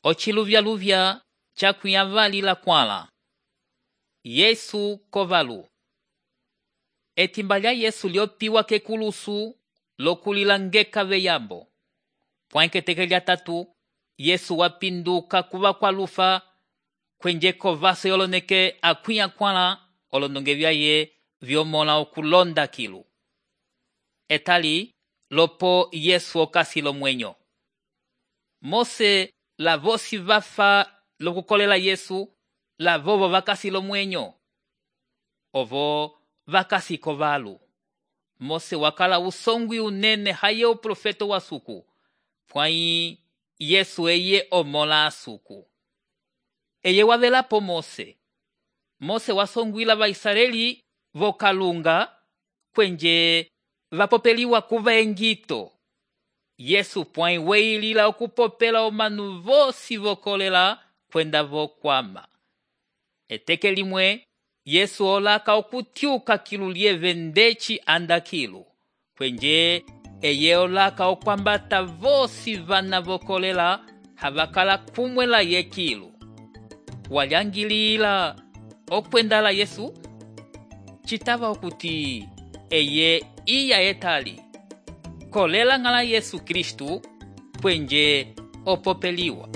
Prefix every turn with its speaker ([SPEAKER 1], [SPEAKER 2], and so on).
[SPEAKER 1] Ociluvyaluvya cakuya vali la kwala. Yesu kovalu. Etimba lya Yesu lyopiwa kekulusu lokulila ngeka veyambo. Pwanketeke lya tatu, Yesu wapinduka kuva kwa lufa kwenje kovase yoloneke akuya kwala olondonge vyaye vyomola okulonda kilu. Etali lopo Yesu okasilo mwenyo. Mose la vosi vafa lokukolela Yesu la vovo vakasilo mwenyo. Ovo vakasiko valu. Mose wakala usongwi unene haye uprofeta wa suku. Pwai Yesu eye omola asuku. Eye wavelapo Mose. Mose wasongwila Vaisraeli vokalunga kwenje vapopeliwa kuva engito. Yesu pwai weilila okupopela omanu vosi vokolela kwenda vokwama. Eteke limwe Yesu olaka okutiuka kilu lieve ndeci anda kilu. Kwenje eye olaka okwambata vosi vana vokolela havakala kumwela ye kilu. Walyangilila okwendala Yesu? Citava okuti eye iya etali. Kolela ngala Yesu Kristu kwenje opopeliwa.